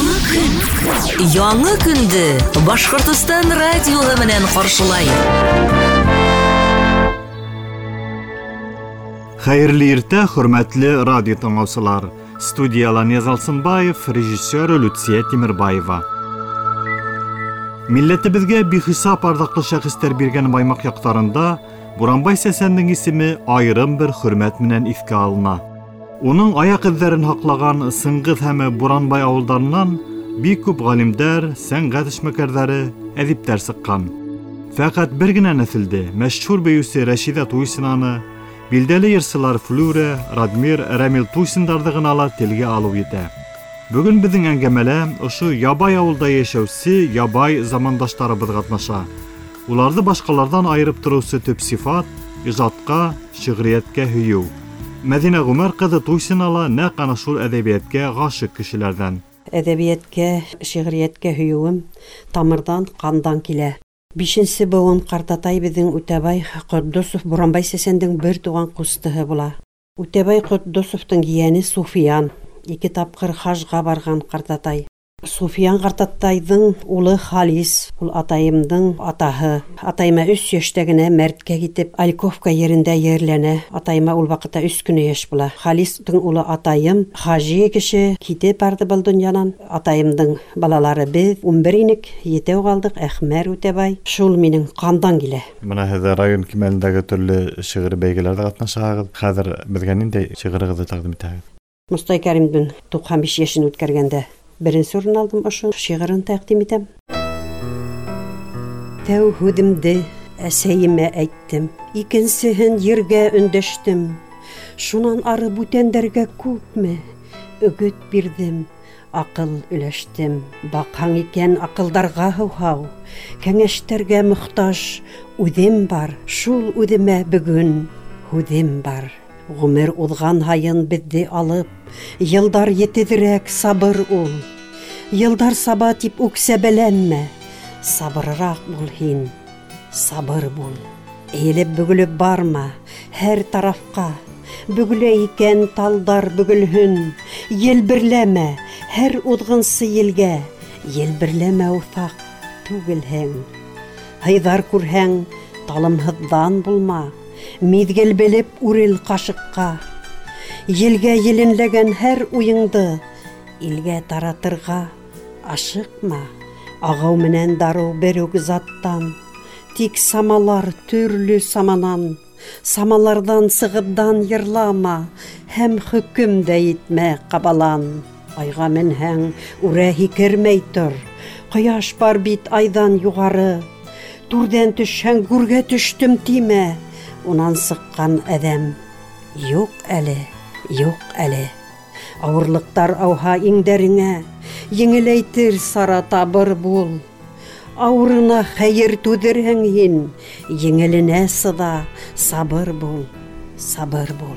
Яңы көн. Яңы көндө Башҡортостан радиоһы менән ҡаршылай. Хәйерле иртә, хөрмәтле радио тыңлаусылар. Студияла Нияз Алсынбаев, режиссер Люция Тимербаева. Милләтебеҙгә бихисап арҙаҡлы шәхестәр биргән Баймаҡ яҡтарында Буранбай Сәсәндең исеме айырым бер хөрмәт менән иҫкә алына. Уның аяҡ эҙҙәрен һаҡлаған Сыңғыҙ һәм Буранбай ауылдарынан бик күп ғалимдәр, сәнғәт эшмәкәрҙәре, әҙиптәр сыҡҡан. Фәҡәт бер генә нәҫелде мәшһүр бейеүсе Рәшиҙә Туйсинаны, билдәле йырсылар Флюра, Радмир, Рәмил Туйсиндарҙы ғына ла телгә алыу етә. Бөгөн беҙҙең әңгәмәлә ошо ябай ауылда йәшәүсе ябай замандаштарыбыҙ ҡатнаша. Уларҙы башҡаларҙан айырып тороусы төп сифат ижадҡа, шиғриәткә һөйөү. Мәҙинә Ғүмәр ҡыҙы Туйсина ла нәҡ ана шул әҙәбиәткә ғашиҡ кешеләрҙән. Әҙәбиәткә, шиғриәткә һөйөүем тамырҙан, ҡандан килә. Бишенсе быуын ҡартатай беҙҙең Үтәбай Ҡотдосов Буранбай Сәсәндең бер туған ҡустыһы була. Үтәбай Ҡотдосовтың ейәне Суфиян, ике тапҡыр хажға барған ҡартатай. Суфиян ҡартатайҙың улы Халис, ул атайымдың атаһы. Атайыма 3 йәштә генә мәрткә китеп, Альковка ерендә ерләнә. Атайыма ул ваҡытта 3 кенә йәш була. Халистың улы атайым, хажи кеше, китеп барҙы был донъянан. Атайымдың балалары беҙ 11 инек, етәү ҡалдыҡ, Әхмәр Үтәбай. Шул минең ҡандан килә. Бына һеҙ район кимәлендәге төрлө шиғри бәйгеләрҙә ҡатнашаһығыҙ. Хәҙер беҙгә ниндәй шиғырығыҙҙы тәҡдим итәһегеҙ? Мостай Кәримдең 95 йәшен үткәргәндә беренсе урын алдым, ошо шиғырын тәҡдим итәм. Тәү һүҙемде әсәйемә әйттем, икенсеһен ергә өндәштем. Шунан ары бүтәндәргә күпме өгөт бирҙем, аҡыл өләштем. Баҡһаң икән аҡылдарға һыуһау, кәңәштәргә мохтаж үҙем бар, шул үҙемә бөгөн һүҙем бар. Ғүмер уҙған һайын беҙҙе алып, йылдар етеҙерәк сабыр ул. Йылдар саба тип үксәбәләнмә, сабырыраҡ бул һин, сабыр бул. Эйелеп бөгөлөп барма һәр тарафҡа, бөгөлә икән талдар бөгөлһөн. Елберләмә һәр уҙғынсы елгә, елберләмә уҫаҡ түгелһең. Һыйҙар күрһәң, талымһыҙҙан булма, миҙгел белеп үрел ҡашыҡҡа. Елгә еленләгән һәр уйыңды илгә таратырға ашыҡма. Ағыу менән дарыу бер үк заттан, тик самалар төрлө саманан. Самаларҙан сығып дан йырлама, һәм хөкөм дә итмә ҡабалан. Айға менһәң, үрә һикермәй тор, ҡояш бар бит айҙан юғары. Түрҙән төшһәң, гүргә төштөм тимә, унан сыҡҡан әҙәм юҡ әле, юҡ әле. Ауырлыҡтар ауһа иңдәреңә, еңеләйтер сара табыр бул. Ауырына хәйер түҙерһең һин, еңеленә сыҙа, сабыр бул, сабыр бул.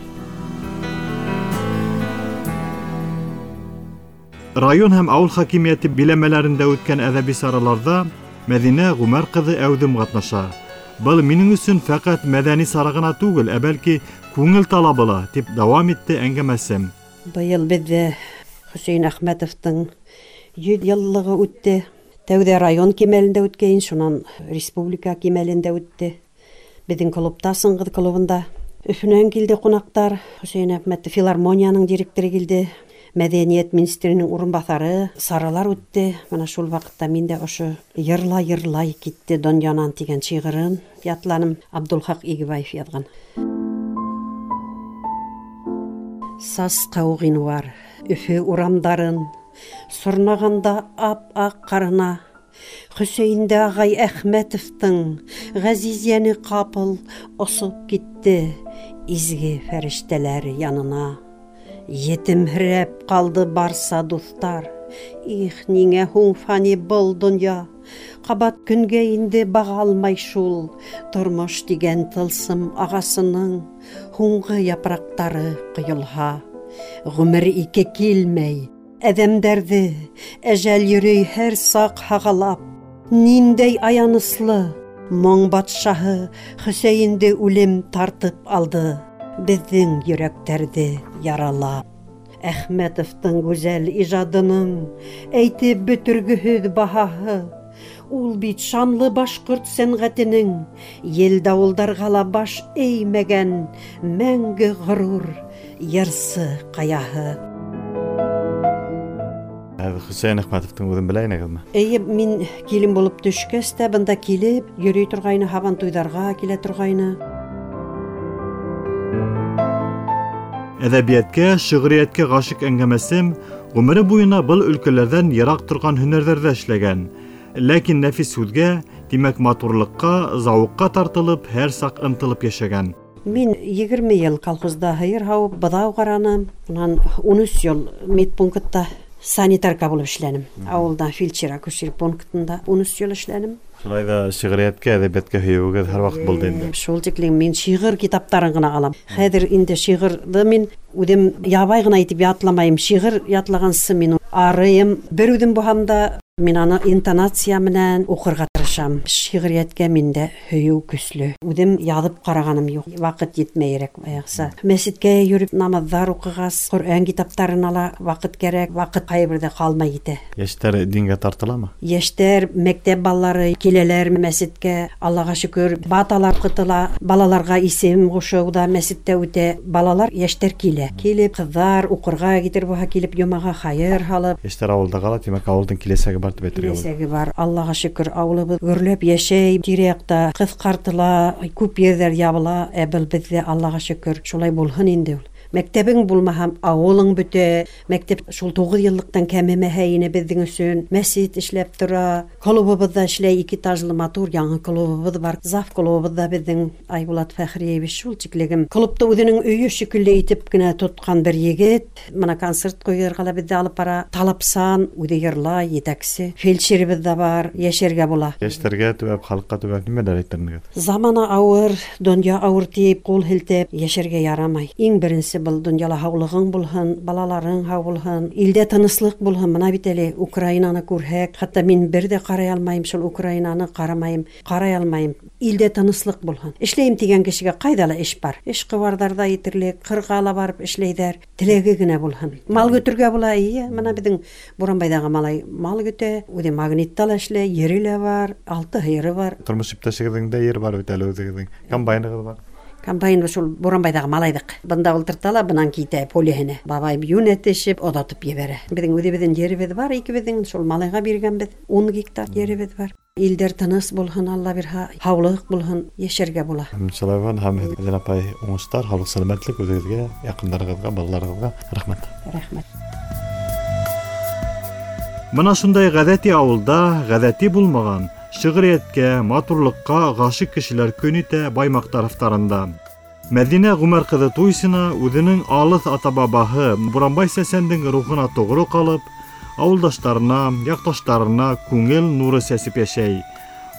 Район һәм ауыл хакимиәте биләмәләрендә үткән әҙәби сараларҙа Мәҙинә Ғүмәр ҡыҙы әүҙем ҡатнаша. Был минең өсөн фәҡәт мәҙәни сара ғына түгел, ә бәлки күңел талабы ла, тип дауам итте әңгәмәсем. Быйыл беҙҙә Хөсәйен Әхмәтовтың 100 йыллығы үтте. Тәүҙә район кимәлендә үткәйен, шунан республика кимәлендә үтте. Беҙҙең клубта, Сыңғыҙ клубында. Өфөнән килде ҡунаҡтар. Хөсәйен Әхмәтов филармонияның директоры килде. Мәҙәниәт министрының урынбаҫары. Саралар үтте. Бына шул ваҡытта мин дә ошо йырлай-йырлай китте донъянан тигән шиғырын ятланым. Абдулхаҡ Игебаев яҙған. Сасҡау ғинуар Өфө урамдарын сорнағанда ап-аҡ ҡарына, Хөсәйендә ағай Әхмәтовтың ғәзиз йәне ҡапыл осоп китте изге фәрештәләр янына. Етемһерәп ҡалды барса дуҫтар. Их, ниңә һуң фани был донъя? Ҡабат көнгә инде баға алмай шул. Тормош тигән тылсым ағасының һуңғы япраҡтары ҡойолһа. Ғүмер ике килмәй, әҙәмдәрҙе әжәл йөрөй һәр саҡ һағалап. Ниндәй аяныслы моң батшаһы Хөсәйенде үлем тартып алды, беҙҙең йөрәктәрҙе яралап. Әхмәтовтың гүзәл ижадының әйтеп бөтөргөһөҙ баһаһы. Ул бит шанлы башҡорт сәнғәтенең ел-дауылдарға ла баш эймәгән мәңге ғорур йырсы ҡаяһы. Хөсәйен Әхмәтовтың үҙен белә инегеҙме? Эйе, мин килен булып төшкәс тә бында килеп йөрөй торғайны, һабантуйҙарға килә торғайны. Әҙәбиәткә, шиғриәткә ғашиҡ әңгәмәсем ғүмере буйына был өлкәләрҙән йыраҡ торған һөнәрҙәрҙә эшләгән. Ләкин нәфис һүҙгә, тимәк матурлыҡҡа, зауыҡҡа тартылып, һәр саҡ ынтылып йәшәгән. Мин 20 йыл колхозда һыйыр һауып, быҙау ҡараным. Унан 13 йыл медпунктта санитарка булып эшләнем. Ауылда фельдшер-акушер пунктында 13 йыл эшләнем. Шулай ҙа шиғриәткә, әҙәбиәткә һөйөүегеҙ һәр ваҡыт булды инде. Шул тиклем мин шиғыр китаптарын ғына алам. Хәҙер инде шиғырҙы мин үҙем ябай ғына итеп ятламайым. Шиғыр ятлағансы мин арыйым. Бер үҙем булһам да мин аны интонация менән уҡырға тырышам. Шиғриәткә миндә һөйөү көслө. Үҙем яҙып ҡарағаным юҡ. Ваҡыт етмәйерәк баяғыса. Мәсеткә йөрөп намаҙҙар уҡығас, Ҡөрьән китаптарын ала ваҡыт кәрәк, ваҡыт ҡайһы берҙә ҡалмай китә. Йәштәр дингә тартыламы? Йәштәр, мәктәп балалары киләләр мәсеткә, Аллаға шөкөр, баталар ҡытыла, балаларға исем ҡушыу ҙа мәсеттә үтә. Балалар, йәштәр килә. Килеп, ҡыҙҙар уҡырға китер булһа, килеп йомаға хайыр һалып. Йәштәр ауылда ҡала, тимәк, ауылдың киләсәге бар тип әйтергә була. Киләсәге бар. Аллаға шөкөр, ауылыбыҙ гөрләп йәшәй, тирә-яҡта ҡыҫҡартыла, күп ерҙәр ябыла, ә был беҙҙә Аллаға шөкөр, шулай булһын инде ул. Мәктәбең булмаһа, ауылың бөтә. Мәктәп шул 9 йыллыҡтан кәмемәһә ине беҙҙең өсөн. Мәсет эшләп тора, клубыбыҙ ҙа эшләй, 2 этажлы матур яңы клубыбыҙ бар. Зав клубыбыҙ ҙа беҙҙең Айбулат Фәхриевич шул тиклегем. Клубты үҙенең өйө шикелле итеп кенә тотҡан бер егет. Мына концерт ҡуйырға ла беҙҙе алып бара. Талапсан, үҙе йырлай, етәксе. Фельдшерыбыҙ ҙа бар, йәшәргә була. Йәштәргә төбәп, халыҡҡа төбәп нимәләр әйтер инегеҙ? Замана ауыр, донъя ауыр тип ҡул һелтәп йәшәргә ярамай. Иң беренсе был донъяла һаулығың булһын, балаларың һау булһын, илдә тыныслыҡ булһын. Мына бит әле Украинаны күрһәк, хатта мин бер ҙә ҡарай алмайым, шул Украинаны ҡарамайым, ҡарай алмайым. Илдә тыныслыҡ булһын. Эшләйем тигән кешегә ҡайҙа ла эш бар. Эш ҡыуарҙарҙа етерлек, ҡырға ла барып эшләйҙәр. Теләге генә булһын. Мал көтөргә була, эйе. Мына беҙҙең Буранбайҙағы малай мал көтә, үҙе магнитта ла эшләй, ере лә бар, 6 һыйыры бар. Тормош иптәшегеҙҙең дә ере бар бит әле үҙегеҙҙең. Комбайнығыҙ бар. Комбайн шул Буранбайҙағы малайҙыҡ. Бында ултырта ла, бынан китә полеһенә. Бабай йүнәтешеп, оҙатып ебәрә. Беҙҙең үҙебеҙҙең еребеҙ бар, икебеҙҙең шул малайға биргәнбеҙ. 10 гектар еребеҙ бар. Илдәр тыныс булһын, Алла бирһә, һаулыҡ булһын, йәшәргә була. Шулай булһын, һәм Мәҙинә апай, уңыштар, һаулыҡ, сәләмәтлек үҙегеҙгә, яҡындарығыҙға, балаларығыҙға. Рәхмәт. Рәхмәт. Мына шундай ғәҙәти ауылда ғәҙәти булмаған шиғриәткә, матурлыҡҡа ғашиҡ кешеләр көн итә Баймаҡ тарафтарында. Мәҙинә Ғүмәр ҡыҙы Туйсина үҙенең алыҫ ата-бабаһы Буранбай сәсәндең рухына тоғро ҡалып, ауылдаштарына, яҡташтарына күңел нуры сәсеп йәшәй.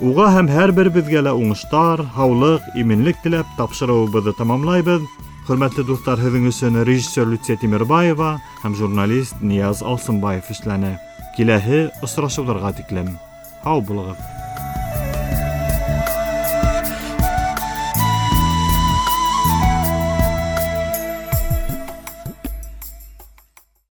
Уға һәм һәр беребеҙгә лә уңыштар, һаулыҡ, именлек теләп тапшырыуыбыҙҙы тамамлайбыҙ. Хөрмәтле дуҫтар, һеҙҙең өсөн режиссер Люция Тимербаева һәм журналист Нияз Алсынбаев эшләне. Киләһе осрашыуҙарға тиклем. Һау булығыҙ.